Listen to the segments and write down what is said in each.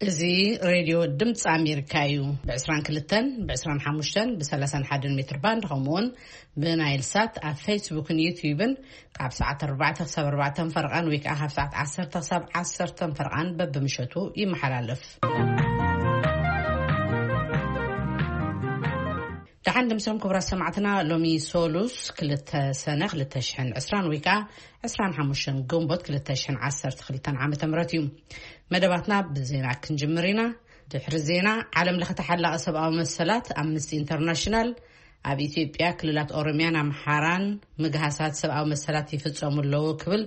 እዚ ሬድዮ ድምፂ ኣሜሪካ እዩ። ብ22፣ ብ25፣ ብ31 ሜትር ባንድ፣ ከምኡውን ብናይል ሳት ኣብ ፌስቡክን ዩትዩብን ካብ ሰዓት ኣርባዕተ ክሳብ ኣርባዕተ ፈርቓን ወይ ከዓ ካብ ሰዓት ዓሰርተ ክሳብ ዓሰርተ ፈርቓን በብምሸቱ ይመሓላለፍ። ደሓን ድምሶም ክቡራት ሰማዕትና፣ ሎሚ ሶሉስ ክልተ ሰነ ክልተ ሽሕን ዕስራን ወይ ከዓ ዕስራን ሓሙሽተን ግንቦት ክልተ ሽሕን ዓሰርተ ክልተን ዓመተ ምህረት እዩ። መደባትና ብዜና ክንጅምር ኢና። ድሕሪ ዜና፣ ዓለም ለኸ ተሓላቒ ሰብኣዊ መሰላት ኣምነስቲ ኢንተርናሽናል ኣብ ኢትዮጵያ ክልላት ኦሮሚያን ኣምሓራን ምግሃሳት ሰብኣዊ መሰላት ይፍጸሙ ኣለዉ ክብል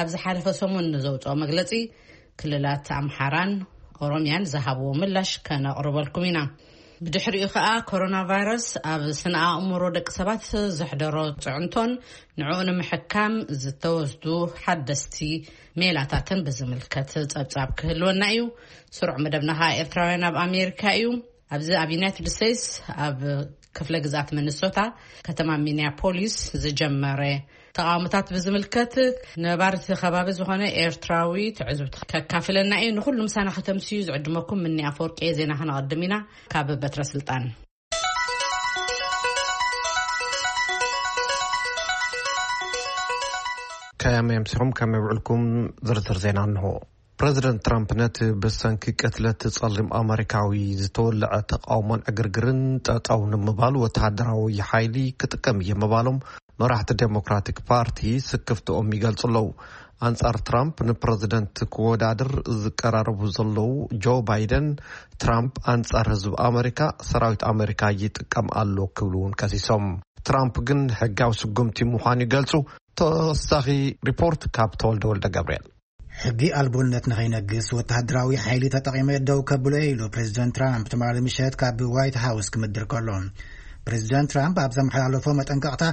ኣብ ዝሓለፈ ሰሙን ንዘውፅኦ መግለጺ ክልላት ኣምሓራን ኦሮሚያን ዝሃብዎ ምላሽ ከነቕርበልኩም ኢና። ብድሕሪኡ ከኣ ኮሮና ቫይረስ ኣብ ስነ ኣእምሮ ደቂ ሰባት ዘሕደሮ ጽዕንቶን ንዕኡ ንምሕካም ዝተወስዱ ሓደስቲ ሜላታትን ብዝምልከት ጸብጻብ ክህልወና እዩ። ስሩዕ መደብና ከኣ ኤርትራውያን ኣብ ኣሜሪካ እዩ። ኣብዚ ኣብ ዩናይትድ ስቴትስ ኣብ ክፍለ ግዝኣት ሚኒሶታ ከተማ ሚኒያፖሊስ ዝጀመረ ተቓውሞታት ብዝምልከት ነባርቲ ከባቢ ዝኾነ ኤርትራዊ ትዕዝብቲ ከካፍለና እዩ። ንኹሉ ምሳና ከተምስዩ ዝዕድመኩም ምኒ ኣፈወርቂ እየ። ዜና ከነቐድም ኢና። ካብ በትረ ስልጣን። ከመይ ኣምሲኹም፣ ከመይ ውዕልኩም? ዝርዝር ዜና እንሆ። ፕረዚደንት ትራምፕ ነቲ ብሰንኪ ቅትለት ጸሊም ኣመሪካዊ ዝተወልዐ ተቃውሞን ዕግርግርን ጠጠው ንምባል ወተሃደራዊ ሓይሊ ክጥቀም እየ ምባሎም መራሕቲ ዴሞክራቲክ ፓርቲ ስክፍትኦም ይገልጹ ኣለዉ። ኣንጻር ትራምፕ ንፕረዚደንት ክወዳደር ዝቀራረቡ ዘለዉ ጆ ባይደን፣ ትራምፕ ኣንጻር ህዝቢ ኣመሪካ ሰራዊት ኣመሪካ ይጥቀም ኣሎ ክብሉ እውን ከሲሶም። ትራምፕ ግን ሕጋዊ ስጉምቲ ምዃኑ ይገልጹ። ተወሳኺ ሪፖርት ካብ ተወልደ ወልደ ገብርኤል። ሕጊ ኣልቦነት ንኸይነግስ ወተሃደራዊ ሓይሊ ተጠቒመ ደው ከብሎ እየ ኢሉ ፕሬዚደንት ትራምፕ ትማሊ ምሸት ካብ ዋይት ሃውስ ክምድር ከሎ። ፕሬዚደንት ትራምፕ ኣብ ዘመሓላለፎ መጠንቀቕታ፣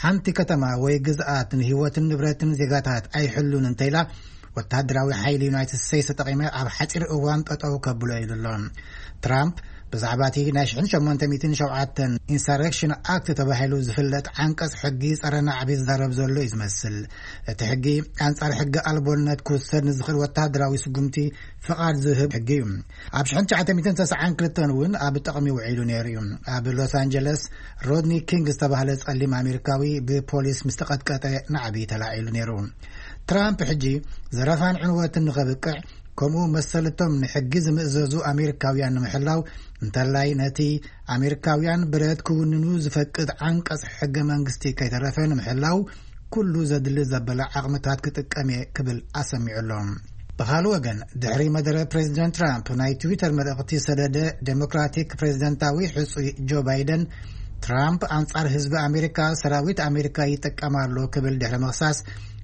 ሓንቲ ከተማ ወይ ግዝኣት ንህይወትን ንብረትን ዜጋታት ኣይሕሉን እንተኢላ፣ ወተሃደራዊ ሓይሊ ዩናይትድ ስቴትስ ተጠቒመ ኣብ ሓፂር እዋን ጠጠው ከብሎ ኢሉ ኣሎ። ትራምፕ ብዛዕባ እቲ ናይ ሽሕን ሸሞንተ ሚእትን ሸውዓተን ኢንሳረክሽን ኣክት ተባሂሉ ዝፍለጥ ዓንቀጽ ሕጊ ጸረ ናዕቢ ዝዛረብ ዘሎ እዩ ዝመስል። እቲ ሕጊ ኣንጻር ሕጊ ኣልቦነት ክውሰድ ንዝኽእል ወተሃደራዊ ስጉምቲ ፍቓድ ዝህብ ሕጊ እዩ። ኣብ ሽሕን ትሽዓተ ሚእትን ተስዓን ክልተን እውን ኣብ ጥቕሚ ውዒሉ ነይሩ እዩ። ኣብ ሎስ ኣንጀለስ ሮድኒ ኪንግ ዝተባህለ ጸሊም ኣሜሪካዊ ብፖሊስ ምስ ተቐጥቀጠ ናዕቢ ተላዒሉ ነይሩ። ትራምፕ ሕጂ ዘረፋን ዕንወትን ንኸብቅዕ፣ ከምኡ መሰልቶም ንሕጊ ዝምእዘዙ ኣሜሪካውያን ንምሕላው፣ እንተላይ ነቲ ኣሜሪካውያን ብረት ክውንኑ ዝፈቅድ ዓንቀጽ ሕገ መንግስቲ ከይተረፈ ንምሕላው፣ ኩሉ ዘድሊ ዘበለ ዓቕምታት ክጥቀም እየ ክብል ኣሰሚዑ ኣሎ። ብኻልእ ወገን፣ ድሕሪ መደረ ፕሬዚደንት ትራምፕ ናይ ትዊተር መልእኽቲ ዝሰደደ ዴሞክራቲክ ፕሬዚደንታዊ ሕጹይ ጆ ባይደን፣ ትራምፕ ኣንጻር ህዝቢ ኣሜሪካ ሰራዊት ኣሜሪካ ይጥቀም ኣሎ ክብል ድሕሪ ምኽሳስ፣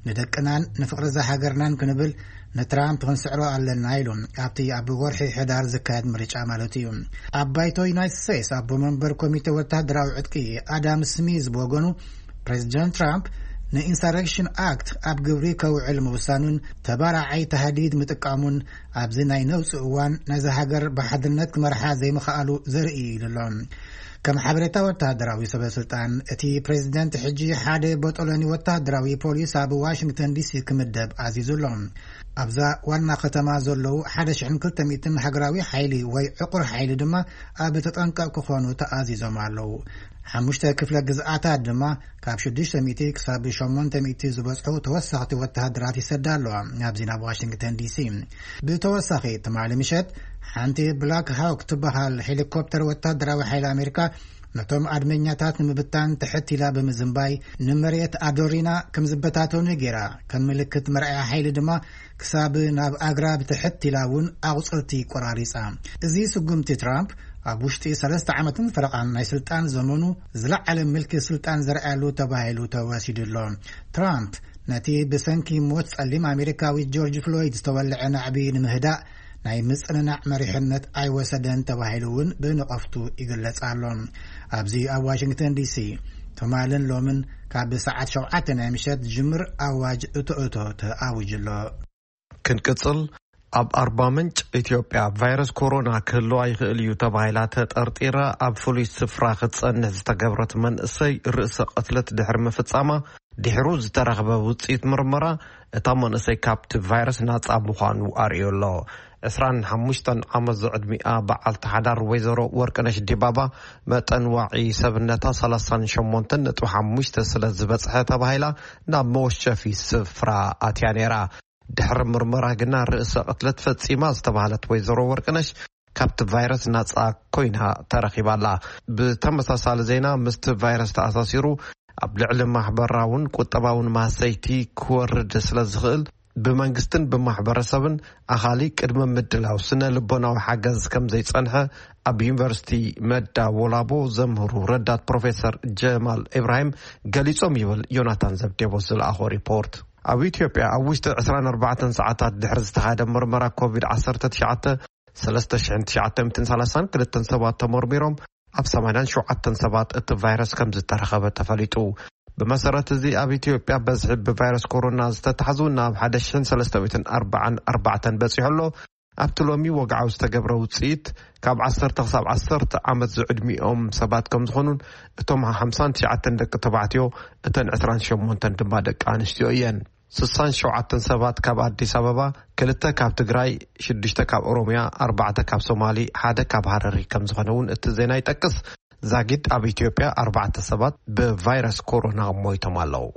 ንደቅናን ንፍቕሪ እዛ ሃገርናን ክንብል ንትራምፕ ክንስዕሮ ኣለና ኢሉ። ኣብቲ ኣብ ወርሒ ሕዳር ዝካየድ ምርጫ ማለት እዩ። ኣብ ባይቶ ዩናይትድ ስቴትስ ኣቦ መንበር ኮሚቴ ወተሃደራዊ ዕጥቂ ኣዳም ስሚዝ ብወገኑ፣ ፕሬዚደንት ትራምፕ ንኢንሳረክሽን ኣክት ኣብ ግብሪ ከውዕል ምውሳኑን ተባራዓይ ተሃዲድ ምጥቃሙን ኣብዚ ናይ ነውፂ እዋን ነዚ ሃገር ብሓድነት ክመርሓ ዘይምኽኣሉ ዘርኢ እዩ ኢሉ ኣሎ። ከም ሓበሬታ ወተሃደራዊ ሰበ ስልጣን፣ እቲ ፕሬዚደንት ሕጂ ሓደ ቦጦሎኒ ወተሃደራዊ ፖሊስ ኣብ ዋሽንግተን ዲሲ ክምደብ ኣዚዙ ኣሎ። ኣብዛ ዋና ከተማ ዘለዉ ሓደ ሽሕን ክልተ ሚእትን ሃገራዊ ሓይሊ ወይ ዕቑር ሓይሊ ድማ ኣብ ተጠንቀቕ ክኾኑ ተኣዚዞም ኣለዉ። ሓሙሽተ ክፍለ ግዝኣታት ድማ ካብ ሽዱሽተ ሚእቲ ክሳብ ሸሞንተ ሚእቲ ዝበጽሑ ተወሰኽቲ ወተሃደራት ይሰዳ ኣለዋ ናብዚ ናብ ዋሽንግተን ዲሲ። ብተወሳኺ ትማሊ ምሸት ሓንቲ ብላክ ሃውክ ትበሃል ሄሊኮፕተር ወተሃደራዊ ሓይሊ ኣሜሪካ ነቶም ኣድመኛታት ንምብታን ትሕት ኢላ ብምዝንባይ ንመሬት ኣዶሪና ከም ዝበታተኑ ገይራ፣ ከም ምልክት መርኣያ ሓይሊ ድማ ክሳብ ናብ ኣግራብ ትሕት ኢላ እውን ኣቑጽልቲ ቆራሪጻ። እዚ ስጉምቲ ትራምፕ ኣብ ውሽጢ ሰለስተ ዓመትን ፈረቓን ናይ ስልጣን ዘመኑ ዝለዓለ ምልኪ ስልጣን ዘርኣየሉ ተባሂሉ ተወሲዱ ኣሎ። ትራምፕ ነቲ ብሰንኪ ሞት ጸሊም ኣሜሪካዊ ጆርጅ ፍሎይድ ዝተወልዐ ናዕቢ ንምህዳእ ናይ ምጽንናዕ መሪሕነት ኣይወሰደን ተባሂሉ እውን ብንቐፍቱ ይግለጽ ኣሎ። ኣብዚ ኣብ ዋሽንግተን ዲሲ ትማልን ሎምን ካብ ሰዓት ሸውዓተ ናይ ምሸት ዝጅምር ኣዋጅ እቶ እቶ ተኣዊጁ ኣሎ። ክንቅጽል፣ ኣብ ኣርባ ምንጭ ኢትዮጵያ ቫይረስ ኮሮና ክህልዋ ይኽእል እዩ ተባሂላ ተጠርጢራ ኣብ ፍሉይ ስፍራ ክትጸንሕ ዝተገብረት መንእሰይ ርእሰ ቅትለት ድሕሪ ምፍጻማ፣ ድሕሩ ዝተረኽበ ውጽኢት ምርመራ እታ መንእሰይ ካብቲ ቫይረስ ናጻ ምዃኑ ኣርእዩ ኣሎ። ዕስራን ሓሙሽተን ዓመት ዝዕድሚኣ በዓልቲ ሓዳር ወይዘሮ ወርቅነሽ ዲባባ፣ መጠን ዋዒ ሰብነታ ሰላሳን ሸሞንተን ነጥቢ ሓሙሽተ ስለ ዝበጽሐ ተባሂላ ናብ መወሸፊ ስፍራ ኣትያ ነይራ። ድሕሪ ምርመራ ግና ርእሰ ቅትለት ፈጺማ ዝተባህለት ወይዘሮ ወርቅነሽ ካብቲ ቫይረስ ናጻ ኮይና ተረኺባላ። ብተመሳሳሊ ዜና፣ ምስቲ ቫይረስ ተኣሳሲሩ ኣብ ልዕሊ ማሕበራውን ቁጠባውን ማህሰይቲ ክወርድ ስለ ዝኽእል፣ ብመንግስትን ብማሕበረሰብን ኣኻሊ ቅድመ ምድላው ስነ ልቦናዊ ሓገዝ ከም ዘይጸንሐ ኣብ ዩኒቨርሲቲ መዳ ወላቦ ዘምህሩ ረዳት ፕሮፌሰር ጀማል ኢብራሂም ገሊጾም ይብል ዮናታን ዘብዴቦ ዝለኣኾ ሪፖርት። ኣብ ኢትዮጵያ ኣብ ውሽጢ ዕስራን ኣርባዕተን ሰዓታት ድሕሪ ዝተኻየደ ምርመራ ኮቪድ ዓሰርተ ትሽዓተ፣ ሰለስተ ሽሕን ትሽዓተ ሚእትን ሰላሳን ክልተን ሰባት ተመርሚሮም ኣብ ሰማንያን ሸውዓተን ሰባት እቲ ቫይረስ ከም ዝተረኸበ ተፈሊጡ። ብመሰረት እዚ ኣብ ኢትዮጵያ በዝሒ ብቫይረስ ኮሮና ዝተታሕዙ ናብ ሓደ ሽሕን ሰለስተ ሚእትን ኣርባዓን ኣርባዕተን በጺሑ ኣሎ። ኣብቲ ሎሚ ወግዓዊ ዝተገብረ ውጽኢት ካብ ዓሰርተ ክሳብ ዓሰርተ ዓመት ዝዕድሚኦም ሰባት ከም ዝኾኑን እቶም ሓምሳን ትሽዓተን ደቂ ተባዕትዮ እተን ዕስራን ሸሞንተን ድማ ደቂ ኣንስትዮ እየን። ስሳን ሸውዓተን ሰባት ካብ ኣዲስ ኣበባ፣ ክልተ ካብ ትግራይ፣ ሽዱሽተ ካብ ኦሮምያ፣ ኣርባዕተ ካብ ሶማሊ፣ ሓደ ካብ ሃረሪ ከም ዝኾነ እውን እቲ ዜና ይጠቅስ። ዛጊድ ኣብ ኢትዮጵያ ኣርባዕተ ሰባት ብቫይረስ ኮሮና ሞይቶም ኣለዉ።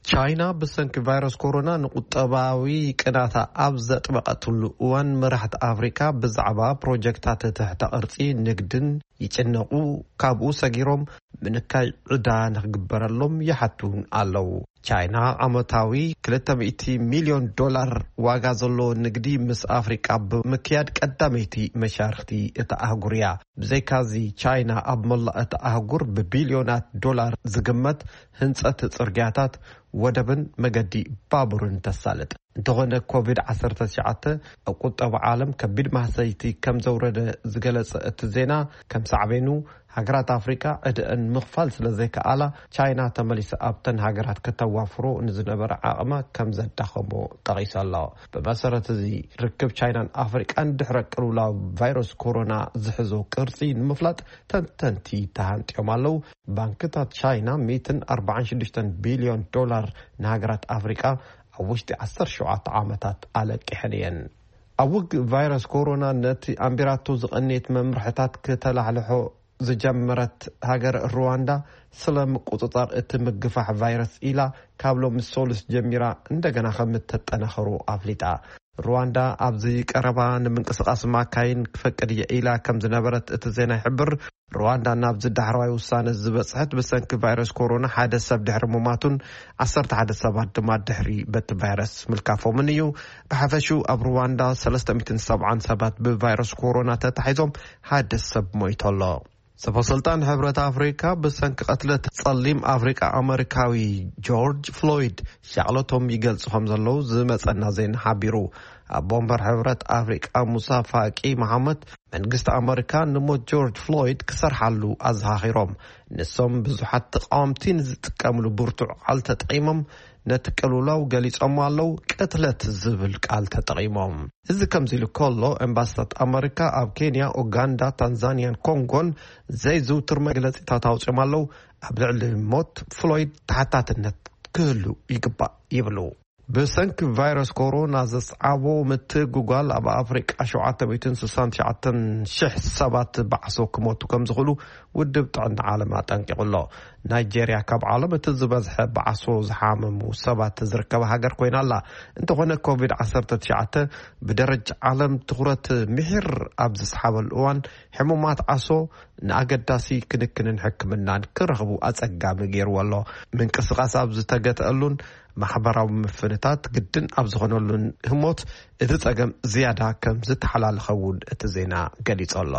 ቻይና ብሰንኪ ቫይረስ ኮሮና ንቁጠባዊ ቅናታ ኣብ ዘጥበቐትሉ እዋን፣ መራሕቲ ኣፍሪካ ብዛዕባ ፕሮጀክታት ትሕተ ቅርጺ ንግድን ይጭነቑ፣ ካብኡ ሰጊሮም ምንካይ ዕዳ ንክግበረሎም ይሓቱን ኣለዉ። ቻይና ዓመታዊ ክልተ ሚእቲ ሚልዮን ዶላር ዋጋ ዘለዎ ንግዲ ምስ ኣፍሪቃ ብምክያድ ቀዳመይቲ መሻርክቲ እታ ኣህጉር እያ። ብዘይካዚ፣ ቻይና ኣብ መላእ እታ ኣህጉር ብቢልዮናት ዶላር ዝግመት ህንጸት ጽርግያታት፣ ወደብን መገዲ ባቡርን ተሳልጥ። እንተኾነ፣ ኮቪድ ዓሰርተ ትሽዓተ ኣብ ቁጠባ ዓለም ከቢድ ማህሰይቲ ከም ዘውረደ ዝገለጸ እቲ ዜና፣ ከም ሳዕቤኑ፣ ሃገራት ኣፍሪቃ ዕድአን ምኽፋል ስለ ዘይከኣላ፣ ቻይና ተመሊሳ ኣብተን ሃገራት ከተዋፍሮ ንዝነበረ ዓቕማ ከም ዘዳኸሞ ጠቒሱ ኣሎ። ብመሰረት እዚ ርክብ ቻይናን ኣፍሪቃን ድሕረ ቅልውላው ቫይረስ ኮሮና ዝሕዞ ቅርጺ ንምፍላጥ ተንተንቲ ተሃንጥዮም ኣለዉ። ባንክታት ቻይና ሚእትን ኣርባዓን ሽዱሽተን ቢልዮን ዶላር ንሃገራት ኣፍሪቃ ኣብ ውሽጢ ዓሰርተ ሸውዓተ ዓመታት ኣለቂሐን እየን። ኣብ ውግእ ቫይረስ ኮሮና ነቲ ኣንቢራቶ ዝቐነየት መምርሕታት ክተላሕልሖ ዝጀመረት ሃገር ሩዋንዳ፣ ስለ ምቁጽጻር እቲ ምግፋሕ ቫይረስ ኢላ ካብ ሎሚ ሶሉስ ጀሚራ እንደገና ከም እተጠናኸሩ ኣፍሊጣ። ሩዋንዳ ኣብዚ ቀረባ ንምንቅስቓስ ማካይን ክፈቅድ እየ ኢላ ከም ዝነበረት እቲ ዜና ይሕብር። ሩዋንዳ ናብዚ ዳሕረዋይ ውሳነ ዝበጽሐት ብሰንኪ ቫይረስ ኮሮና ሓደ ሰብ ድሕሪ ምሟቱን ዓሰርተ ሓደ ሰባት ድማ ድሕሪ በቲ ቫይረስ ምልካፎምን እዩ። ብሓፈሹ ኣብ ሩዋንዳ ሰለስተ ሚእትን ሰብዓን ሰባት ብቫይረስ ኮሮና ተታሒዞም፣ ሓደ ሰብ ሞይቱ ኣሎ። ሰበ ስልጣን ሕብረት ኣፍሪካ ብሰንኪ ቅትለት ጸሊም ኣፍሪቃ ኣመሪካዊ ጆርጅ ፍሎይድ ሻቕለቶም ይገልጹ ከም ዘለዉ ዝመጸና ዜና ሓቢሩ። ኣቦ ወንበር ሕብረት ኣፍሪቃ ሙሳ ፋቂ መሓመድ፣ መንግስቲ ኣመሪካ ንሞት ጆርጅ ፍሎይድ ክሰርሓሉ ኣዘኻኺሮም። ንሶም ብዙሓት ተቃወምቲ ንዝጥቀምሉ ብርቱዕ ቃል ተጠቒሞም ነቲ ቅልውላው ገሊጾሞ ኣለዉ። ቅትለት ዝብል ቃል ተጠቒሞም። እዚ ከምዚ ኢሉ ከሎ፣ ኤምባስታት ኣመሪካ ኣብ ኬንያ፣ ኡጋንዳ፣ ታንዛንያን ኮንጎን ዘይዝውትር መግለጺታት ኣውጺኦም ኣለዉ። ኣብ ልዕሊ ሞት ፍሎይድ ተሓታትነት ክህሉ ይግባእ ይብሉ። ብሰንኪ ቫይረስ ኮሮና ዘስዓቦ ምትግጓል ኣብ ኣፍሪቃ ሸውዓተ ሚእትን ስሳን ትሽዓተን ሽሕ ሰባት ብዓሶ ክሞቱ ከም ዝኽእሉ ውድብ ጥዕና ዓለም ኣጠንቂቑ ኣሎ። ናይጄርያ ካብ ዓለም እቲ ዝበዝሐ ብዓሶ ዝሓመሙ ሰባት ዝርከባ ሃገር ኮይና ኣላ። እንተኾነ፣ ኮቪድ ዓሰርተ ትሽዓተ ብደረጃ ዓለም ትኹረት ምሒር ኣብ ዝሰሓበሉ እዋን፣ ሕሙማት ዓሶ ንኣገዳሲ ክንክንን ሕክምናን ክረኽቡ ኣጸጋሚ ገይርዎ ኣሎ። ምንቅስቓስ ኣብ ዝተገትአሉን ማሕበራዊ ምፍንታት ግድን ኣብ ዝኾነሉን ህሞት፣ እቲ ጸገም ዝያዳ ከም ዝተሓላለኸ እውን እቲ ዜና ገሊጹ ኣሎ።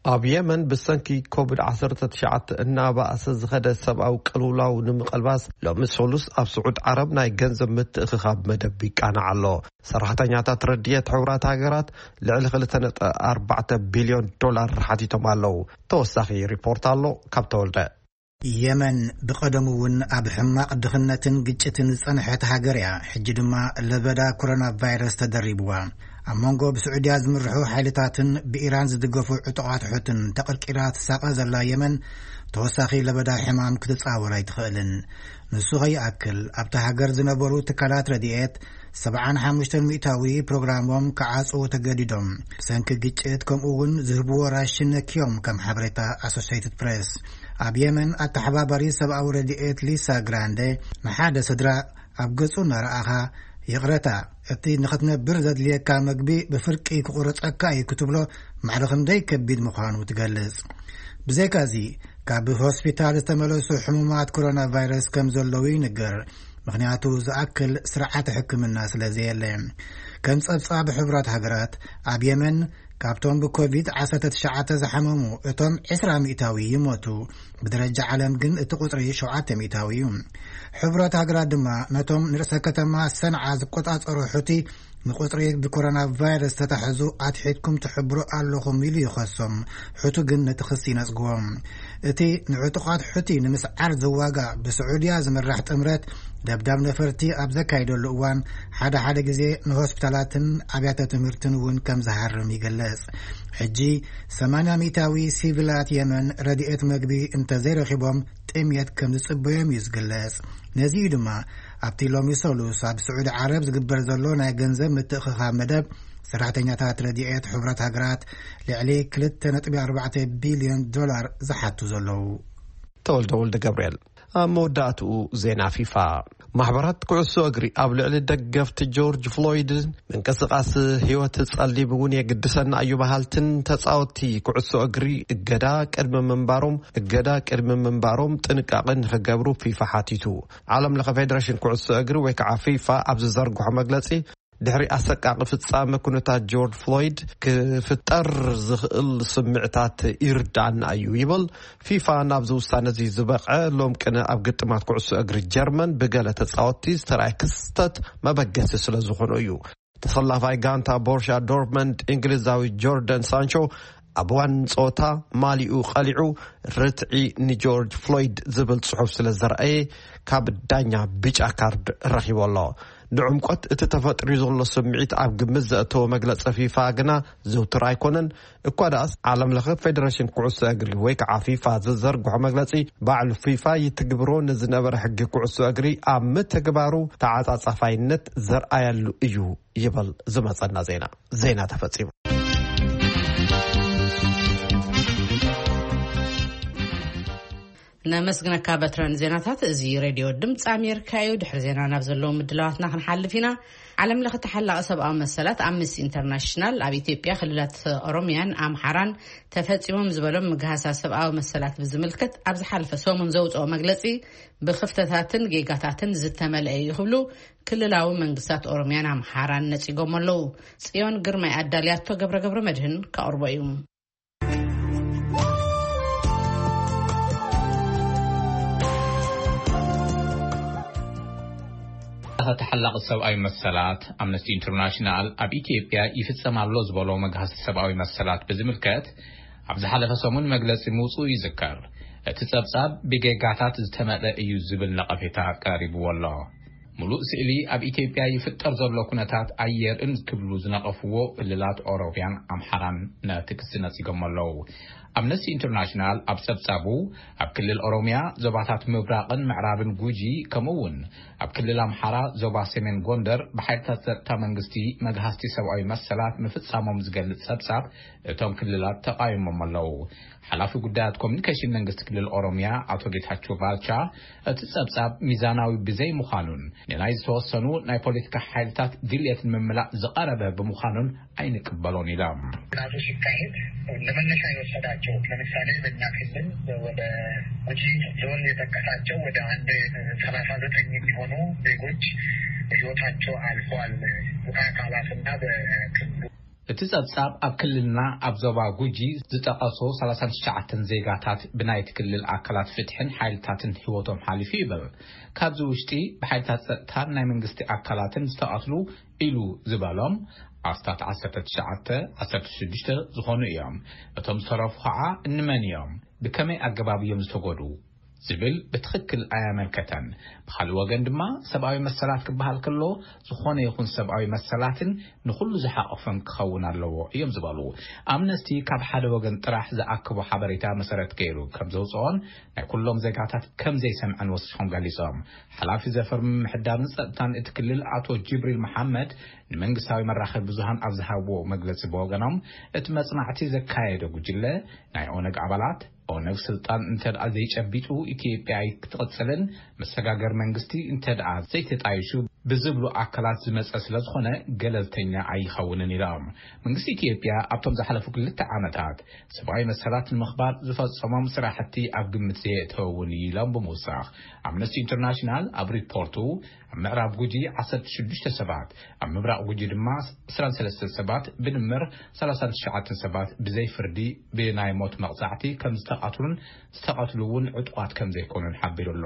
ኣብ የመን ብሰንኪ ኮቪድ ዓሰርተ ትሽዓተ እናባእሰ ዝኸደ ሰብኣዊ ቅልውላው ንምቕልባስ፣ ሎሚ ሰሉስ ኣብ ስዑድ ዓረብ ናይ ገንዘብ ምትእኽኻብ መደብ ይቃናዕ ኣሎ። ሰራሕተኛታት ረድኤት ሕቡራት ሃገራት ልዕሊ ክልተ ነጥቢ ኣርባዕተ ቢልዮን ዶላር ሓቲቶም ኣለዉ። ተወሳኺ ሪፖርት ኣሎ ካብ ተወልደ። የመን ብቐደሙ እውን ኣብ ሕማቕ ድኽነትን ግጭትን ዝጸንሐት ሃገር እያ። ሕጂ ድማ ለበዳ ኮሮና ቫይረስ ተደሪብዋ። ኣብ መንጎ ብስዑድያ ዝምርሑ ሓይልታትን ብኢራን ዝድገፉ ዕጡቓት ሑትን ተቐርቂራ ትሳቐ ዘላ የመን፣ ተወሳኺ ለበዳ ሕማም ክትጻወር ኣይትኽእልን። ንሱ ከይኣክል ኣብታ ሃገር ዝነበሩ ትካላት ረድኤት ሰብዓን ሓሙሽተን ሚእታዊ ፕሮግራሞም ክዓጽዉ ተገዲዶም። ብሰንኪ ግጭት ከምኡ እውን ዝህብዎ ራሽን ነክዮም፣ ከም ሓበሬታ ኣሶሲየትድ ፕሬስ። ኣብ የመን ኣተሓባባሪ ሰብኣዊ ረድኤት ሊሳ ግራንደ ንሓደ ስድራ ኣብ ገጹ እናረኣኻ፣ ይቕረታ፣ እቲ ንኽትነብር ዘድልየካ መግቢ ብፍርቂ ክቑረጸካ እዩ ክትብሎ ማዕረ ክንደይ ከቢድ ምዃኑ ትገልጽ። ብዘይካዚ፣ ካብ ሆስፒታል ዝተመለሱ ሕሙማት ኮሮና ቫይረስ ከም ዘለዉ ይንገር፣ ምኽንያቱ ዝኣክል ስርዓተ ሕክምና ስለ ዘየለ። ከም ጸብጻብ ሕቡራት ሃገራት፣ ኣብ የመን ካብቶም ብኮቪድ ዓሰርተ ትሽዓተ ዝሓመሙ እቶም ዕስራ ሚእታዊ ይሞቱ። ብደረጃ ዓለም ግን እቲ ቁጽሪ ሸውዓተ ሚእታዊ እዩ። ሕቡራት ሃገራት ድማ ነቶም ንርእሰ ከተማ ሰንዓ ዝቆጻጸሩ ሑቲ ንቁጽሪ ብኮሮና ቫይረስ ተታሕዙ ኣትሒትኩም ትሕብሩ ኣለኹም ኢሉ ይኸሶም። ሑቲ ግን ነቲ ክሲ ይነጽግዎ። እቲ ንዕጡቓት ሑቲ ንምስዓር ዝዋጋእ ብስዑድያ ዝምራሕ ጥምረት ደብዳብ ነፈርቲ ኣብ ዘካየደሉ እዋን፣ ሓደ ሓደ ግዜ ንሆስፒታላትን ኣብያተ ትምህርትን እውን ከም ዝሃርም ይግለጽ። ሕጂ ሰማንያ ሚእታዊ ሲቪላት የመን ረድኤት መግቢ እንተዘይረኺቦም ጥምየት ከም ዝጽበዮም እዩ ዝግለጽ። ነዚ እዩ ድማ ኣብቲ ሎሚ ሰሉስ ኣብ ስዑዲ ዓረብ ዝግበር ዘሎ ናይ ገንዘብ ምትእኽኻብ መደብ ሰራሕተኛታት ረድኤት ሕቡራት ሃገራት ልዕሊ ክልተ ነጥቢ ኣርባዕተ ቢልዮን ዶላር ዝሓቱ ዘለዉ። ተወልደ ወልደ ገብርኤል። ኣብ መወዳእትኡ ዜና ፊፋ። ማሕበራት ኩዕሶ እግሪ ኣብ ልዕሊ ደገፍቲ ጆርጅ ፍሎይድ ምንቅስቓስ ህይወት ጸሊም እውን የግድሰና እዩ በሃልትን ተጻወትቲ ኩዕሶ እግሪ እገዳ ቅድሚ ምንባሮም፣ እገዳ ቅድሚ ምንባሮም ጥንቃቐ ንኽገብሩ ፊፋ ሓቲቱ። ዓለም ለኸ ፌደሬሽን ኩዕሶ እግሪ ወይ ከዓ ፊፋ ኣብ ዝዘርግሖ መግለጺ፣ ድሕሪ ኣሰቃቂ ፍጻመ ኩነታት ጆርጅ ፍሎይድ ክፍጠር ዝኽእል ስምዕታት ይርዳእና እዩ ይብል። ፊፋ ናብዚ ውሳነ እዚ ዝበቕዐ ሎም ቅነ ኣብ ግጥማት ኩዕሶ እግሪ ጀርመን ብገለ ተጻወትቲ ዝተራእየ ክስተት መበገሲ ስለ ዝኾነ እዩ። ተሰላፋይ ጋንታ ቦርሻ ዶርትመንድ እንግሊዛዊ ጆርደን ሳንቾ ኣብ እዋን ጸወታ ማሊኡ ቀሊዑ ርትዒ ንጆርጅ ፍሎይድ ዝብል ጽሑፍ ስለ ዘርኣየ ካብ ዳኛ ብጫ ካርድ ረኺቡ ኣሎ። ንዕምቆት እቲ ተፈጥሩ ዘሎ ስምዒት ኣብ ግምት ዘእተወ መግለጺ ፊፋ ግና ዝውትር ኣይኮነን። እኳ ደኣስ ዓለም ለኸ ፌደሬሽን ኩዕሶ እግሪ ወይ ከዓ ፊፋ ዝዘርግሖ መግለጺ፣ ባዕሉ ፊፋ ይትግብሮ ንዝነበረ ሕጊ ኩዕሶ እግሪ ኣብ ምትግባሩ ተዓጻጻፋይነት ዘርኣየሉ እዩ ይብል ዝመጸና ዜና። ዜና ተፈጺሙ። ነመስግነካ በትረን ዜናታት። እዚ ሬድዮ ድምፂ ኣሜሪካ እዩ። ድሕሪ ዜና ናብ ዘለዉ ምድላዋትና ክንሓልፍ ኢና። ዓለም ለኸ ተሓላቒ ሰብኣዊ መሰላት ኣምነስቲ ኢንተርናሽናል ኣብ ኢትዮጵያ ክልላት ኦሮሚያን ኣምሓራን ተፈጺሞም ዝበሎም ምግሃሳት ሰብኣዊ መሰላት ብዝምልከት ኣብ ዝሓለፈ ሰሙን ዘውፅኦ መግለጺ ብክፍተታትን ጌጋታትን ዝተመልአ እዩ ክብሉ ክልላዊ መንግስታት ኦሮሚያን ኣምሓራን ነጺጎም ኣለዉ። ጽዮን ግርማይ ኣዳልያቶ ገብረ ገብረ መድህን ከቕርቦ እዩ። ተሓላቒ ሰብኣዊ መሰላት ኣምነስቲ ኢንተርናሽናል ኣብ ኢትዮጵያ ይፍጸም ኣሎ ዝበሎ መግሃሲ ሰብኣዊ መሰላት ብዝምልከት ኣብ ዝሓለፈ ሰሙን መግለጺ ምውጽኡ ይዝከር። እቲ ጸብጻብ ብጌጋታት ዝተመልአ እዩ ዝብል ነቐፌታ ቀሪብዎ ኣሎ። ሙሉእ ስእሊ ኣብ ኢትዮጵያ ይፍጠር ዘሎ ኩነታት ኣየርእን ክብሉ ዝነቐፍዎ ክልላት ኦሮሚያን ኣምሓራን ነቲ ክሲ ነጺጎም ኣለዉ። ኣምነስቲ ኢንተርናሽናል ኣብ ጸብጻቡ ኣብ ክልል ኦሮሚያ ዞባታት ምብራቕን ምዕራብን ጉጂ ከምኡ እውን ኣብ ክልል ኣምሓራ ዞባ ሰሜን ጎንደር ብሓይልታት ጸጥታ መንግስቲ መግሃስቲ ሰብኣዊ መሰላት ምፍጻሞም ዝገልጽ ጸብጻብ እቶም ክልላት ተቓይሞም ኣለዉ። ሓላፊ ጉዳያት ኮሚኒኬሽን መንግስቲ ክልል ኦሮሚያ ኣቶ ጌታቸው ባልቻ እቲ ጸብጻብ ሚዛናዊ ብዘይ ምዃኑን ንናይ ዝተወሰኑ ናይ ፖለቲካ ሓይልታት ድልየት ንምምላእ ዝቐረበ ብምዃኑን ኣይንቅበሎን ኢሎም። ጥናቱ ሲካሄድ ለመነሻ የወሰዳቸው ለምሳሌ በእኛ ክልል ወደ ጉጂ ዞን የጠቀሳቸው ወደ አንድ ሰላሳ ዘጠኝ የሚሆኑ ዜጎች ህይወታቸው አልፏል። በአካላትና በክልሉ እቲ ጸብጻብ ኣብ ክልልና ኣብ ዞባ ጉጂ ዝጠቐሶ ሰላሳ ትሽዓተ ዜጋታት ብናይቲ ክልል ኣካላት ፍትሕን ሓይልታትን ህይወቶም ሓሊፉ ይብል። ካብዚ ውሽጢ ብሓይልታት ጸጥታን ናይ መንግስቲ ኣካላትን ዝተቐትሉ ኢሉ ዝበሎም ኣስታት ዓሰርተ ትሽዓተ፣ ዓሰርተ ሽዱሽተ ዝኾኑ እዮም። እቶም ዝተረፉ ኸዓ እንመን እዮም? ብከመይ ኣገባብ እዮም ዝተጎድኡ? ዝብል ብትኽክል ኣያመልከተን። ብኻልእ ወገን ድማ ሰብኣዊ መሰላት ክበሃል ከሎ ዝኾነ ይኹን ሰብኣዊ መሰላትን ንኹሉ ዝሓቆፈን ክኸውን ኣለዎ እዮም ዝበሉ። ኣምነስቲ ካብ ሓደ ወገን ጥራሕ ዝኣከቦ ሓበሬታ መሰረት ገይሩ ከም ዘውፅኦን ናይ ኩሎም ዜጋታት ከም ዘይሰምዐን ወሲኾም ገሊጾም። ሓላፊ ዘፈር ምምሕዳርን ጸጥታን እቲ ክልል ኣቶ ጅብሪል መሓመድ ንመንግስታዊ መራኸቢ ብዙሃን ኣብ ዝሃብዎ መግለጺ ብወገኖም፣ እቲ መጽናዕቲ ዘካየደ ጉጅለ ናይ ኦነግ ኣባላት፣ ኦነግ ስልጣን እንተ ደኣ ዘይጨቢጡ ኢትዮጵያ ኣይክትቕጽልን መሰጋገር መንግስቲ እንተ ደኣ ዘይተጣይሹ ብዝብሉ ኣካላት ዝመጸ ስለ ዝኾነ ገለልተኛ ኣይኸውንን ኢሎም። መንግስቲ ኢትዮጵያ ኣብቶም ዝሓለፉ ክልተ ዓመታት ሰብኣዊ መሰላት ንምኽባር ዝፈጸሞም ስራሕቲ ኣብ ግምት ዘየእተወ እውን እዩ ኢሎም ብምውሳኽ፣ ኣምነስቲ ኢንተርናሽናል ኣብ ሪፖርቱ ኣብ ምዕራብ ጉጂ ዓሰርተ ሽዱሽተ ሰባት፣ ኣብ ምብራቕ ጉጂ ድማ ዕስራን ሰለስተን ሰባት፣ ብድምር ሰላሳን ትሽዓተን ሰባት ብዘይ ፍርዲ ብናይ ሞት መቕጻዕቲ ከም ዝተቐትሉን ዝተቐትሉ እውን ዕጡቓት ከም ዘይኮኑን ሓቢሩ ኣሎ።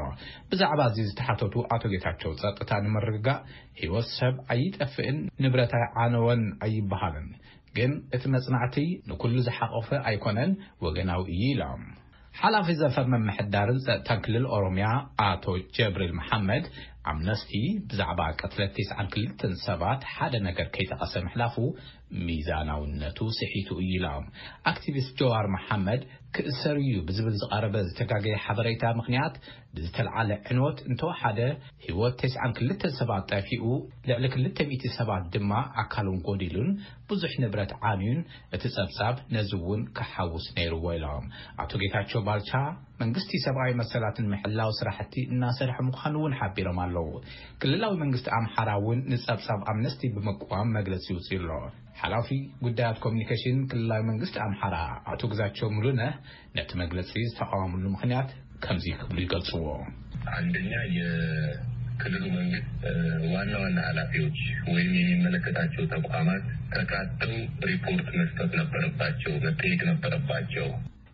ብዛዕባ እዚ ዝተሓተቱ ኣቶ ጌታቸው፣ ጸጥታ ንምርግጋእ ህይወት ሰብ ኣይጠፍእን፣ ንብረት ኣይዓነወን ኣይበሃልን፣ ግን እቲ መጽናዕቲ ንኩሉ ዝሓቆፈ ኣይኮነን፣ ወገናዊ እዩ ኢሎም። ሓላፊ ዘፈር ምምሕዳርን ጸጥታን ክልል ኦሮምያ ኣቶ ጀብሪል መሓመድ፣ ኣምነስቲ ብዛዕባ ቅትለት ተስዓን ክልተን ሰባት ሓደ ነገር ከይጠቐሰ ምሕላፉ ሚዛናውነቱ ስሒቱ እዩ ኢሎም። ኣክቲቪስት ጀዋር መሓመድ ክእሰር እዩ ብዝብል ዝቐረበ ዝተጋገየ ሓበሬታ ምኽንያት ብዝተልዓለ ዕንወት እንተወሓደ ህይወት ተስዓን ክልተን ሰባት ጠፊኡ፣ ልዕሊ ክልተ ሚእቲ ሰባት ድማ ኣካሎም ጎዲሉን ብዙሕ ንብረት ዓንዩን እቲ ጸብጻብ ነዚ እውን ክሓውስ ነይርዎ ኢሎም። ኣቶ ጌታቸው ባልቻ መንግስቲ ሰብኣዊ መሰላት ንምሕላው ስራሕቲ እናሰርሐ ምዃኑ እውን ሓቢሮም ኣለዉ። ክልላዊ መንግስቲ ኣምሓራ እውን ንጸብጻብ ኣምነስቲ ብምቅዋም መግለጺ ይውፅእ ኣሎ። ሓላፊ ጉዳያት ኮሚኒኬሽን ክልላዊ መንግስቲ ኣምሓራ ኣቶ ግዛቸው ሙሉነህ ነቲ መግለጺ ዝተቃወምሉ ምኽንያት ከምዚ ክብሉ ይገልጽዎ። አንደኛ የክልሉ መንግስት ዋና ዋና ኃላፊዎች ወይም የሚመለከታቸው ተቋማት ተካተው ሪፖርት መስጠት ነበረባቸው፣ መጠየቅ ነበረባቸው።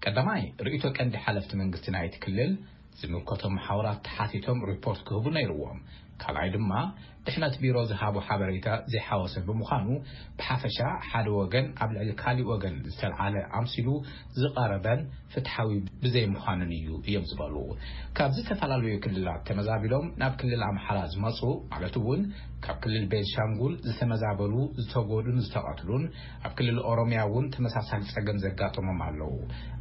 ቀዳማይ ርእይቶ ቀንዲ ሓለፍቲ መንግስቲ ናይቲ ክልል ዝምልከቶም መሓውራት ተሓቲቶም ሪፖርት ክህቡ ነይርዎም። ካልኣይ ድማ ድሕነት ቢሮ ዝሃቦ ሓበሬታ ዘይሓወሰ ብምዃኑ ብሓፈሻ ሓደ ወገን ኣብ ልዕሊ ካሊእ ወገን ዝተልዓለ ኣምሲሉ ዝቐረበን ፍትሓዊ ብዘይምዃኑን እዩ እዮም ዝበሉ። ካብ ዝተፈላለዩ ክልላት ተመዛቢሎም ናብ ክልል ኣምሓራ ዝመፁ ማለት እውን ካብ ክልል ቤንሻንጉል ዝተመዛበሉ፣ ዝተጎዱን ዝተቐትሉን፣ ኣብ ክልል ኦሮምያ እውን ተመሳሳሊ ጸገም ዘጋጠሞም ኣለዉ።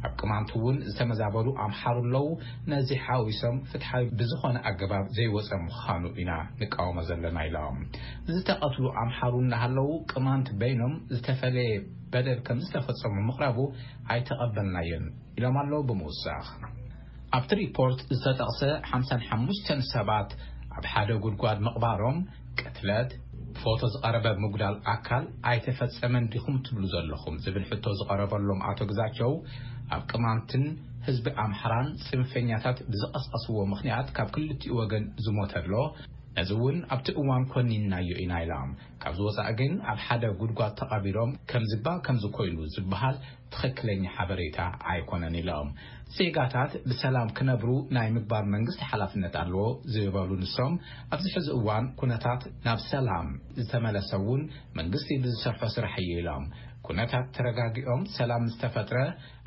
ኣብ ቅማንት እውን ዝተመዛበሉ ኣምሓሩ ኣለዉ። ነዚ ሓዊሶም ፍትሓዊ ብዝኾነ ኣገባብ ዘይወፀ ምዃኑ ኢና ንቃወሞ ዘለና ኢሎም። ዝተቐትሉ ኣምሓሩ እናሃለዉ ቅማንት በይኖም ዝተፈለየ በደል ከም ዝተፈጸሙ ምቕራቡ ኣይተቐበልናዮን ኢሎም ኣለዉ ብምውሳኽ። ኣብቲ ሪፖርት ዝተጠቕሰ ሓምሳን ሓሙሽተን ሰባት ኣብ ሓደ ጉድጓድ ምቕባሮም፣ ቅትለት፣ ብፎቶ ዝቐረበ ምጉዳል ኣካል ኣይተፈጸመን ዲኹም ትብሉ ዘለኹም ዝብል ሕቶ ዝቐረበሎም ኣቶ ግዛቸው፣ ኣብ ቅማንትን ህዝቢ ኣምሓራን ጽንፈኛታት ብዝቐስቀስዎ ምኽንያት ካብ ክልቲኡ ወገን ዝሞተ ኣሎ። ነዚ እውን ኣብቲ እዋን ኮኒንናዮ ኢና ኢሎም። ካብዚ ወጻኢ ግን ኣብ ሓደ ጉድጓድ ተቐቢሮም ከምዚባ ከምዚ ኮይኑ ዝበሃል ትኽክለኛ ሓበሬታ ኣይኮነን ኢሎም። ዜጋታት ብሰላም ክነብሩ ናይ ምግባር መንግስቲ ሓላፍነት ኣለዎ ዝበሉ ንሶም፣ ኣብዚ ሕዚ እዋን ኩነታት ናብ ሰላም ዝተመለሰ እውን መንግስቲ ብዝሰርሖ ስራሕ እዩ ኢሎም። ኩነታት ተረጋጊኦም ሰላም ዝተፈጥረ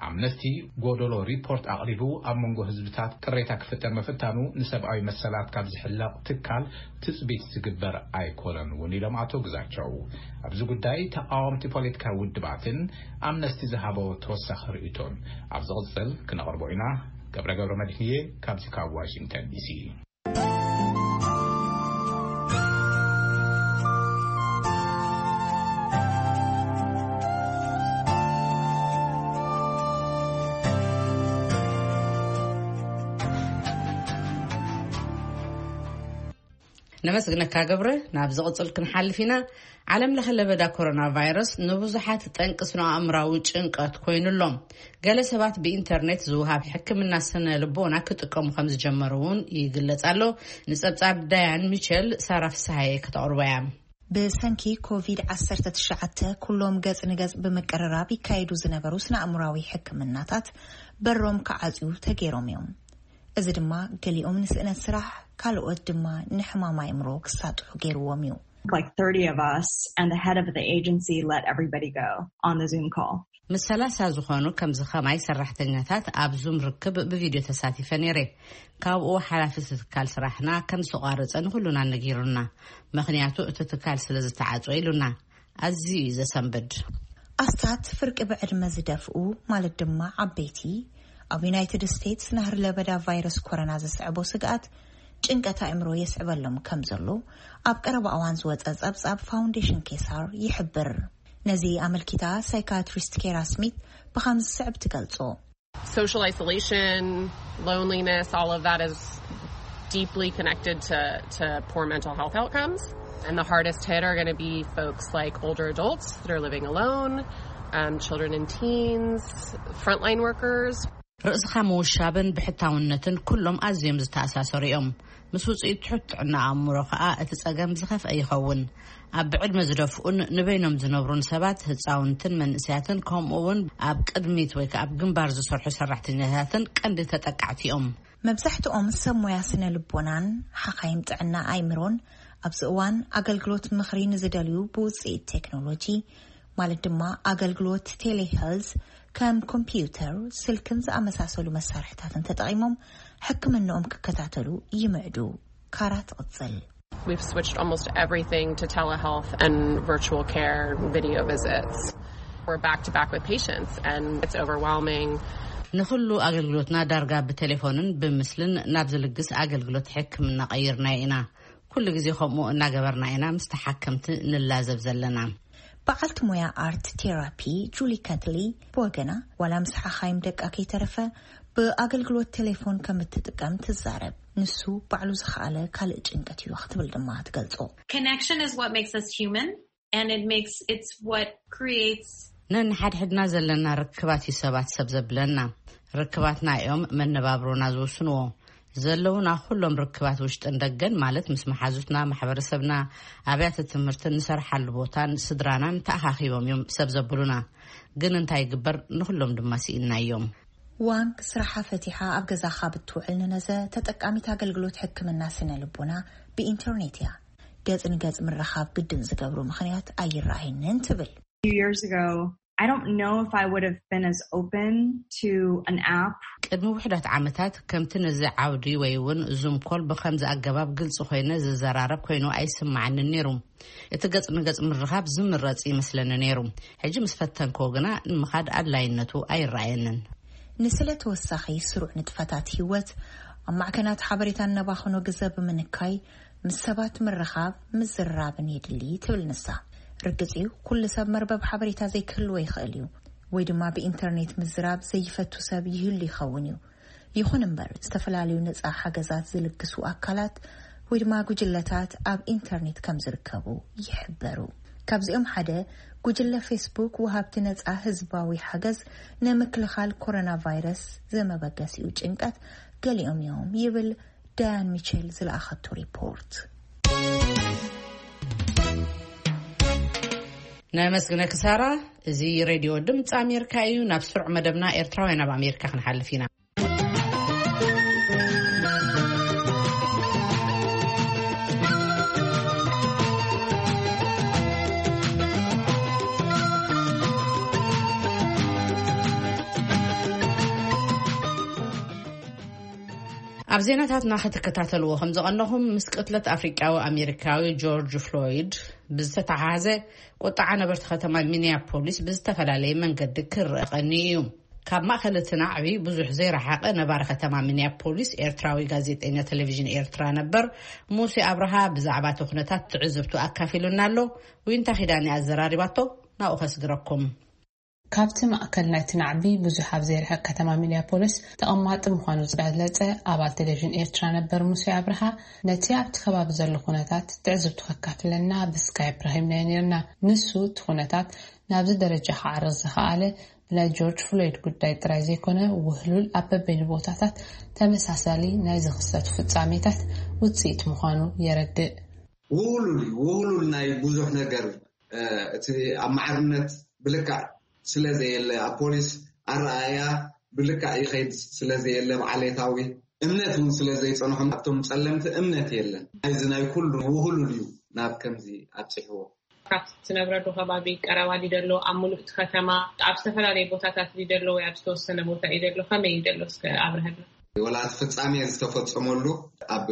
ኣምነስቲ ጎደሎ ሪፖርት ኣቕሪቡ ኣብ መንጎ ህዝብታት ቅሬታ ክፍጠር ምፍታኑ ንሰብኣዊ መሰላት ካብ ዝሕለቕ ትካል ትጽቢት ዝግበር ኣይኮነን እውን ኢሎም ኣቶ ግዛቸው። ኣብዚ ጉዳይ ተቃወምቲ ፖለቲካዊ ውድባትን ኣምነስቲ ዝሃቦ ተወሳኺ ርእይቶን ኣብ ዝቕጽል ክነቕርቦ ኢና። ገብረ ገብረ መድህንየ ካብዚ ካብ ዋሽንግተን ዲሲ። ነመስግነካ ገብረ። ናብ ዝቕጽል ክንሓልፍ ኢና። ዓለም ለኸ ለበዳ ኮሮና ቫይረስ ንብዙሓት ጠንቂ ስነ ኣእምራዊ ጭንቀት ኮይኑ ኣሎ። ገለ ሰባት ብኢንተርኔት ዝውሃብ ሕክምና ስነ ልቦና ክጥቀሙ ከም ዝጀመሩ እውን ይግለጽ ኣሎ። ንጸብጻብ ዳያን ሚቸል ሳራ ፍስሃየ ከተቕርቦ እያ። ብሰንኪ ኮቪድ ዓሰርተ ትሽዓተ ኩሎም ገጽ ንገጽ ብምቅርራብ ይካየዱ ዝነበሩ ስነ ኣእምራዊ ሕክምናታት በሮም ክዓጽዩ ተገይሮም እዮም። እዚ ድማ ገሊኦም ንስእነት ስራሕ፣ ካልኦት ድማ ንሕማም ኣእምሮ ክሳጥሑ ገይርዎም እዩ። Like thirty of us, and the head of the agency let everybody go on the Zoom call. ምስ ሰላሳ ዝኾኑ ከምዚ ኸማይ ሰራሕተኛታት ኣብ ዙም ርክብ ብቪድዮ ተሳቲፈ ነይረ። ካብኡ ሓላፊ እቲ ትካል ስራሕና ከም ዝተቋረፀ ንኩሉና ነጊሩና፣ ምክንያቱ እቲ ትካል ስለ ዝተዓፀወ ኢሉና። ኣዝዩ እዩ ዘሰንብድ። ኣስታት ፍርቂ ብዕድመ ዝደፍኡ፣ ማለት ድማ ዓበይቲ፣ ኣብ ዩናይትድ ስቴትስ ናህሪ ለበዳ ቫይረስ ኮሮና ዘስዕቦ ስግኣት ጭንቀት ኣእምሮ የስዕበሎም ከም ዘሎ ኣብ ቀረባ እዋን ዝወጸ ጸብጻብ ፋውንዴሽን ኬሳር ይሕብር። ነዚ ኣመልኪታ ሳይካትሪስት ኬራ ስሚት ብኸምዚ ዝስዕብ ትገልጾ። Social isolation, loneliness, all of that is deeply connected to, to poor mental health outcomes. And the hardest hit are going to be folks like older adults that are living alone, um, children and teens, frontline workers. ርእስኻ ምውሻብን ብሕታውነትን ኩሎም ኣዝዮም ዝተኣሳሰሩ እዮም። ምስ ውፅኢት ትሑት ጥዕና ኣእምሮ ከኣ እቲ ጸገም ዝኸፍአ ይኸውን። ኣብ ብዕድመ ዝደፍኡን ንበይኖም ዝነብሩን ሰባት፣ ህፃውንትን መንእሰያትን፣ ከምኡ እውን ኣብ ቅድሚት ወይ ከኣ ኣብ ግንባር ዝሰርሑ ሰራሕተኛታትን ቀንዲ ተጠቃዕቲ እዮም። መብዛሕትኦም ሰብ ሞያ ስነ ልቦናን ሓኻይም ጥዕና ኣእምሮን ኣብዚ እዋን ኣገልግሎት ምኽሪ ንዝደልዩ ብውፅኢት ቴክኖሎጂ፣ ማለት ድማ ኣገልግሎት ቴሌሄልዝ፣ ከም ኮምፒውተር፣ ስልክን ዝኣመሳሰሉ መሳርሕታትን ተጠቒሞም ሕክምንኦም ክከታተሉ ይምዕዱ። ካራ ትቕጽል። We've switched almost everything to telehealth and virtual care video visits. We're back to back with patients, and it's overwhelming. ንኹሉ ኣገልግሎትና ዳርጋ ብቴሌፎንን ብምስልን ናብ ዝልግስ ኣገልግሎት ሕክምና ቀይርናዮ ኢና። ኩሉ ግዜ ከምኡ እናገበርና ኢና ምስ ተሓከምቲ ንላዘብ ዘለና። በዓልቲ ሞያ ኣርት ቴራፒ ጁሊ ከትሊ ብወገና፣ ዋላ ምስ ሓኻይም ደቃ ከይተረፈ ብኣገልግሎት ቴሌፎን ከም እትጥቀም ትዛረብ። ንሱ ባዕሉ ዝኸኣለ ካልእ ጭንቀት እዩ ክትብል ድማ ትገልጾ። Connection is what makes us human, and it makes, it's what creates ነንሓድሕድና ዘለና ርክባት እዩ ሰባት ሰብ ዘብለና። ርክባትና እዮም መነባብሮና ዝውስንዎ። ዘለውና ኩሎም ርክባት ውሽጥን ደገን፣ ማለት ምስ መሓዙትና፣ ማሕበረሰብና፣ ኣብያተ ትምህርትን ንሰርሓሉ ቦታን ስድራናን ተኣኻኺቦም እዮም ሰብ ዘብሉና። ግን እንታይ ይግበር፣ ንኹሎም ድማ ስኢንናዮም። ዋንግ ስራሓ ፈቲሓ ኣብ ገዛ ካብ እትውዕል ንነዘ ተጠቃሚት ኣገልግሎት ሕክምና ስነ ልቦና ብኢንተርኔት እያ። ገጽ ንገጽ ምርኻብ ግድን ዝገብሩ ምኽንያት ኣይረኣየንን ትብል። Few years ago, I don't know if I would have been as open to an app. ቅድሚ ውሕዳት ዓመታት ከምቲ ነዚ ዓውዲ ወይ እውን ዙም ኮል ብኸምዚ ኣገባብ ግልጺ ኮይነ ዝዘራረብ ኮይኑ ኣይስምዓንን ነይሩ። እቲ ገጽ ንገጽ ምርኻብ ዝምረጽ ይመስለኒ ነይሩ። ሕጂ ምስ ፈተንክዎ ግና ንምኻድ ኣድላይነቱ ኣይረኣየንን። ንስለ ተወሳኺ ስሩዕ ንጥፈታት ህይወት ኣብ ማዕከናት ሓበሬታ እነባኽኖ ግዘ ብምንካይ ምስ ሰባት ምርኻብ ምዝርራብን የድሊ ትብል ንሳ። ርግጽ እዩ፣ ኩሉ ሰብ መርበብ ሓበሬታ ዘይክህልዎ ይኽእል እዩ፣ ወይ ድማ ብኢንተርኔት ምዝራብ ዘይፈቱ ሰብ ይህሉ ይኸውን እዩ። ይኹን እምበር፣ ዝተፈላለዩ ነጻ ሓገዛት ዝልግሱ ኣካላት ወይ ድማ ጉጅለታት ኣብ ኢንተርኔት ከም ዝርከቡ ይሕበሩ። ካብዚኦም ሓደ ጉጅለ ፌስቡክ፣ ወሃብቲ ነጻ ህዝባዊ ሓገዝ ንምክልኻል ኮሮና ቫይረስ ዘመበገሲኡ ጭንቀት ገሊኦም እዮም ይብል ዳያን ሚቸል ዝለኣኸቶ ሪፖርት። ነመስግነኪ ሳራ። እዚ ሬድዮ ድምፂ ኣሜሪካ እዩ። ናብ ስሩዕ መደብና ኤርትራውያን ኣብ ኣሜሪካ ክንሓልፍ ኢና። ኣብ ዜናታትና ክትከታተልዎ ከም ዝቐነኹም፣ ምስ ቅትለት ኣፍሪቃዊ ኣሜሪካዊ ጆርጅ ፍሎይድ ብዝተተሓሓዘ፣ ቁጥዓ ነበርቲ ከተማ ሚኒያፖሊስ ብዝተፈላለየ መንገዲ ክረአ ቀንዩ እዩ። ካብ ማእከል እቲ ናዕቢ ብዙሕ ዘይረሓቐ ነባሪ ከተማ ሚኒያፖሊስ፣ ኤርትራዊ ጋዜጠኛ ቴሌቪዥን ኤርትራ ነበር ሙሴ ኣብርሃ ብዛዕባ እቲ ኩነታት ትዕዝብቱ ኣካፊሉና ኣሎ። ዊንታ ኪዳነ ኣዘራሪባቶ፣ ናብኡ ከስግረኩም። ካብቲ ማእከል ናይቲ ናዕቢ ብዙሕ ኣብ ዘይርሕቕ ከተማ ሚኒያፖሊስ ተቐማጢ ምዃኑ ዝገለጸ ኣባል ቴሌቪዥን ኤርትራ ነበር ሙሴ ኣብርሃ፣ ነቲ ኣብቲ ከባቢ ዘሎ ኩነታት ትዕዝብቱ ከካፍለና ብስካይፕ ረኺብናዮ ነይርና። ንሱ እቲ ኩነታት ናብዚ ደረጃ ክዓርግ ዝኸኣለ ብናይ ጆርጅ ፍሎይድ ጉዳይ ጥራይ ዘይኮነ፣ ውህሉል ኣብ በበይኑ ቦታታት ተመሳሳሊ ናይ ዝኽሰቱ ፍጻሜታት ውጽኢት ምዃኑ የረድእ። ውህሉል እዩ፣ ውህሉል ናይ ብዙሕ ነገር እዩ። እ፣ እቲ ኣብ ማዕርነት ብልክዕ ስለ ዘየለ፣ ኣብ ፖሊስ ኣረኣእያ ብልክዕ ይኸይድ ስለ ዘየለ፣ ብዓሌታዊ እምነት እውን ስለ ዘይጸንሖም፣ ኣብቶም ጸለምቲ እምነት የለን። እዚ ናይ ኩሉ ውህሉል እዩ። ናብ ከምዚ ኣብፅሕዎ። ካብ ትነብረሉ ከባቢ ቀረባ ድዩ ዘሎ? ኣብ ሙሉእ እቲ ከተማ ኣብ ዝተፈላለየ ቦታታት ድዩ ዘሎ ወይ ኣብ ዝተወሰነ ቦታ እዩ ዘሎ? ከመይ እዩ ዘሎ? እስከ ኣብርሀልና። ወላ እቲ ፍጻሜ ዝተፈጸመሉ ኣብ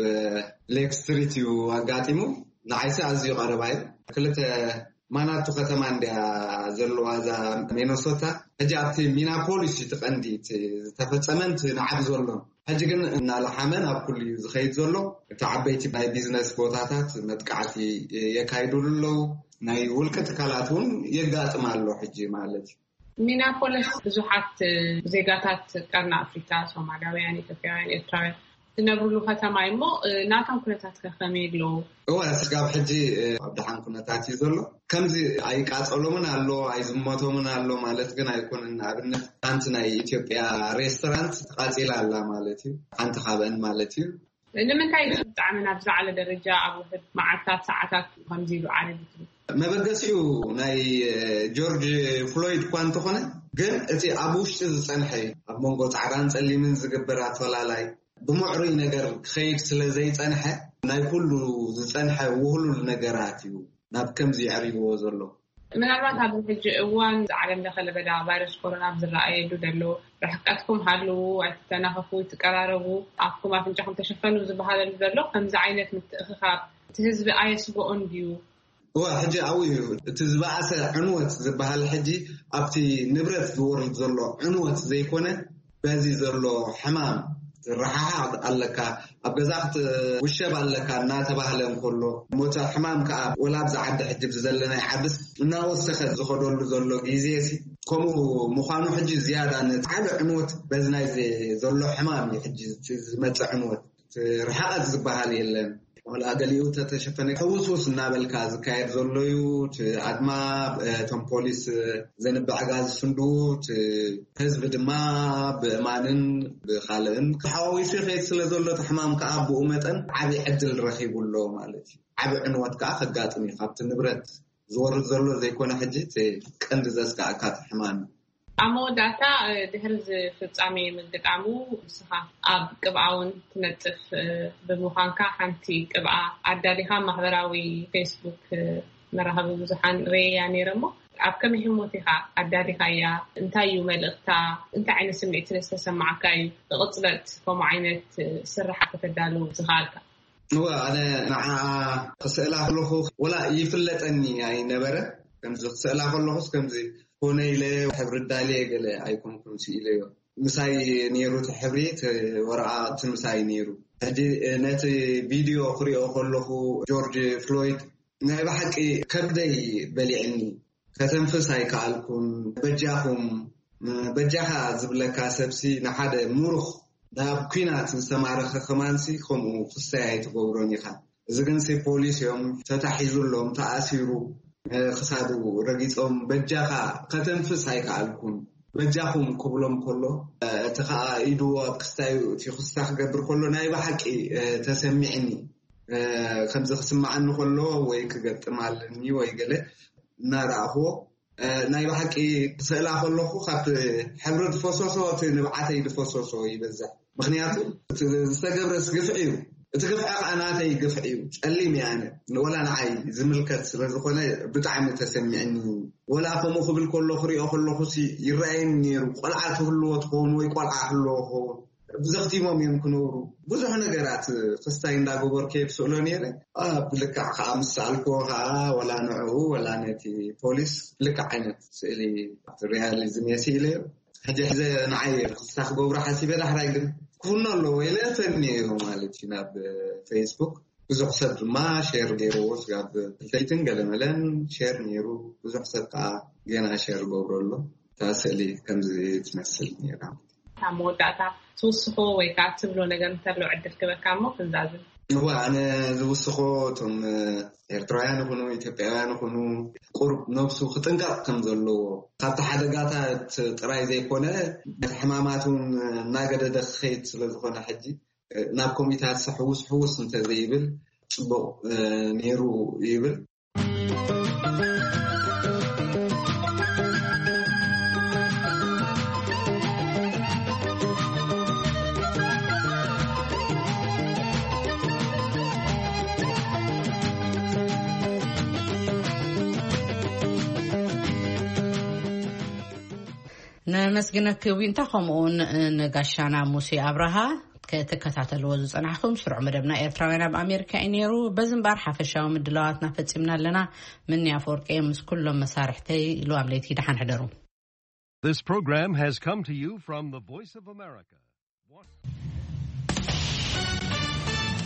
ሌክ ስትሪት እዩ ኣጋጢሙ። ንዓይሲ ኣዝዩ ቀረባ እዩ። ክልተ ማናቱ ከተማ እንድያ ዘለዋ እዛ ሚነሶታ። ሕጂ ኣብቲ ሚናፖሊስ እዩ እቲ ቀንዲ እቲ ዝተፈጸመን እቲ ንዓቢ ዘሎን። ሕጂ ግን እናለሓመ ናብ ኩሉ እዩ ዝኸይድ ዘሎ። እቲ ዓበይቲ ናይ ቢዝነስ ቦታታት መጥቃዕቲ የካይዱሉ ኣለዉ። ናይ ውልቂ ትካላት እውን የጋጥም ኣሎ ሕጂ ማለት እዩ። ሚናፖሊስ ብዙሓት ዜጋታት ቀርኒ ኣፍሪካ፣ ሶማላውያን፣ ኢትዮጵያውያን፣ ኤርትራውያን ዝነብሩሉ ከተማ እዩ። እሞ ናቶም ኩነታት ከ ከመይ ኣለዉ? እወ፣ ስጋብ ሕጂ ኣብ ደሓን ኩነታት እዩ ዘሎ። ከምዚ ኣይቃጸሎምን ኣሎ ኣይዝመቶምን ኣሎ ማለት ግን ኣይኮነን። ንኣብነት ሓንቲ ናይ ኢትዮጵያ ሬስቶራንት ተቃጺላ ኣላ ማለት እዩ። ሓንቲ ካብአን ማለት እዩ። ንምንታይ ብጣዕሚ ናብ ዝዓለ ደረጃ ኣብ ውሕድ መዓልታት ሰዓታት ከምዚ ኢሉ ዓረግ ትብል? መበገሲኡ ናይ ጆርጅ ፍሎይድ እኳ እንተኾነ፣ ግን እቲ ኣብ ውሽጢ ዝጸንሐ እዩ። ኣብ መንጎ ጻዕዳን ጸሊምን ዝግበር ኣፈላላይ ብምዕሩይ ነገር ክኸይድ ስለ ዘይጸንሐ፣ ናይ ኩሉ ዝጸንሐ ውህሉል ነገራት እዩ ናብ ከምዚ የዕሪዎ ዘሎ። ምናልባት ኣብዚ ሕጂ እዋን ዓለም ለኸ ለበዳ ቫይረስ ኮሮና ኣብ ዝረኣየሉ ዘሎ፣ ርሕቀትኩም ሃልዉ፣ ኣይትተናኸፉ፣ ኣይትቀራረቡ፣ ኣፍኩም ኣፍንጫኹም ተሸፈኑ ዝበሃለሉ ዘሎ ከምዚ ዓይነት ምትእኽኻብ እቲ ህዝቢ ኣየስግኦን ድዩ? እወ፣ ሕጂ ኣብኡ እዩ እቲ ዝበኣሰ ዕንወት ዝበሃል። ሕጂ ኣብቲ ንብረት ዝወርድ ዘሎ ዕንወት ዘይኮነ፣ በዚ ዘሎ ሕማም ትረሓሓቕ ኣለካ፣ ኣብ ገዛ ክትውሸብ ኣለካ እናተባህለ እንከሎ፣ ሞተ ሕማም ከዓ ወላ ኣብዚ ዓዲ ሕጂ ብዝዘለናይ ዓድስ እናወሰኸ ዝኸደሉ ዘሎ ግዜ ሲ ከምኡ ምዃኑ፣ ሕጂ ዝያዳ ነቲ ዓቢ ዕንወት በዚ ናይ ዘሎ ሕማም እዩ። ሕጂ እቲ ዝመፅእ ዕንወት እቲ ርሕቐት ዝበሃል የለን። ወላ ገሊኡ ተተሸፈነ ሕውስውስ እናበልካ ዝካየድ ዘሎ እዩ። እቲ ኣድማ፣ እቶም ፖሊስ ዘንብዕ ጋዝ ዝፍንድዉ፣ እቲ ህዝቢ ድማ ብእማንን ብኻልእን ተሓዋዊሱ ይኸይድ ስለ ዘሎ፣ እቲ ሕማም ከዓ ብኡ መጠን ዓብዪ ዕድል ረኺቡ ኣሎ ማለት እዩ። ዓብዪ ዕንወት ከዓ ከጋጥም እዩ። ካብቲ ንብረት ዝወርድ ዘሎ ዘይኮነ፣ ሕጂ እቲ ቀንዲ ዘስጋእካ እቲ ሕማም እዩ። ኣብ መወዳእታ፣ እ፣ ድሕሪ እዚ ፍጻሜ ምግጣሙ፣ ንስኻ ኣብ ቅብኣ እውን ትነጥፍ፣ እ፣ ብምዃንካ፣ ሓንቲ ቅብኣ ኣዳሊኻ ማሕበራዊ ፌስቡክ፣ እ፣ መራኸቢ ብዙሓን ርእየያ ነይረ እሞ፣ ኣብ ከመይ ህሞት ኢኻ ኣዳሊኻያ? እንታይ እዩ መልእኽታ? እንታይ ዓይነት ስምዒት ስለ ዝተሰማዓካ እዩ ብቕጽበት ከምኡ ዓይነት፣ እ፣ ስርሓት ከተዳሉ ዝኸኣልካ? እወ፣ ኣነ ንዓኣ ክስእላ ከለኹ ወላ ይፍለጠኒ ኣይነበረ። ከምዚ ክስእላ ከለኹስ ከምዚ ኮነ ኢለ ሕብሪ ዳልየ ገለ ኣይኮንኩን ስኢለዮ። ምሳይ ነይሩ እቲ ሕብሪ፣ እቲ ወረቓቕቲ ምሳይ ነይሩ። ሕጂ ነቲ ቪድዮ ክሪኦ ከለኹ ጆርጅ ፍሎይድ ናይ ብሓቂ ከብደይ በሊዕኒ። ከተንፍስ ኣይከኣልኩን። በጃኹም፣ በጃኻ ዝብለካ ሰብሲ ንሓደ ምሩኽ ናብ ኲናት ዝተማረኸ ከማንሲ ከምኡ ክሰይ ኣይትገብሮን ኢኻ። እዚ ግንሲ ፖሊስ እዮም ተታሒዙሎም፣ ተኣሲሩ፣ እ፣ ክሳዱ ረጊጾም፣ በጃኻ ከተንፍስ ኣይከኣልኩን፣ በጃኹም ክብሎም ከሎ፣ እ፣ እቲ ኸኣ ኢዱ ኣብ ክስታዩ እቲ ክስታ ክገብር ከሎ ናይ ብሓቂ፣ እ፣ ተሰሚዕኒ። እ፣ ከምዚ ክስምዓኒ ከሎ ወይ ክገጥም ኣለኒ ወይ ገለ እናረኣኽዎ፣ እ፣ ናይ ብሓቂ ክስእላ ከለኹ ካብ ሕብሪ ዝፈሰሶ እቲ ንብዓተይ ዝፈሰሶ ይበዝሕ። ምኽንያቱ እቲ ዝተገብረስ ግፍዒ እዩ። እቲ ግፍዒ ከዓ ናተይ ግፍዒ እዩ። ጸሊም እየ ኣነ። ወላ ንዓይ ዝምልከት ስለ ዝኾነ ብጣዕሚ ተሰሚዕኒ። ወላ ከምኡ ክብል ከሎ ክሪኦ ከለኹ ሲ ይረኣየኒ ነይሩ። ቆልዓ ትህልዎ ትኸውን ወይ ቆልዓ ክህልዎ ክኸውን። ዘኽቲሞም እዮም ክነብሩ። ብዙሕ ነገራት ክስታይ እንዳገበርኩ እየ ዝስእሎ ነይረ። ኣብ ልክዕ ከዓ ምስ ሰኣልክዎ ከዓ ወላ ንዕኡ ወላ ነቲ ፖሊስ ልክዕ ዓይነት ስእሊ ሪያሊዝም እየ ስኢለዮ። ሕጂ ሕዘ ንዓይ ክስታ ክገብሮ ሓሲበ፣ ዳሕራይ ግን ክፍኖ ኣለዎ ኢለ ፈንዮ ማለት እዩ ናብ ፌስቡክ። ብዙሕ ሰብ ድማ ሼር ገይርዎ፣ ስጋብ ክልተይትን ገለመለን ሼር ነይሩ። ብዙሕ ሰብ ከዓ ገና ሼር ገብሮ ኣሎ። እታ ስእሊ ከምዚ ትመስል ነይራ። ኣብ መወዳእታ ትውስኾ ወይ ከዓ ትብሎ ነገር እንተሎ ዕድል ክበካ እሞ ክንዛዝም። እወ፣ ኣነ ዝውስኾ እቶም ኤርትራውያን ይኹኑ ኢትዮጵያውያን ይኹኑ ቁሩብ ነብሱ ክጥንቀቕ ከም ዘለዎ፣ ካብቲ ሓደጋታት ጥራይ ዘይኮነ ነቲ ሕማማት እውን እናገደደ ክኸይድ ስለ ዝኾነ ሕጂ ናብ ኮሚታት ሕውስ ሕውስ እንተዘይብል ጽቡቕ፣ እ፣ ነይሩ ይብል። ነመስግነኪ ዊንታ፣ ከምኡውን ንጋሻና ሙሴ ኣብርሃ። ክትከታተልዎ ዝጸናሕኩም ስሩዕ መደብና ኤርትራውያን ኣብ ኣሜሪካ እዩ ነይሩ። በዚ እምበኣር ሓፈሻዊ ምድላዋትና ፈጺምና ኣለና። ምኒ ኣፈወርቂ ምስ ኩሎም መሳርሕተይ ኢሉ ኣብ ለይቲ ደሓን ሕደሩ። This program has come to you from the Voice of America.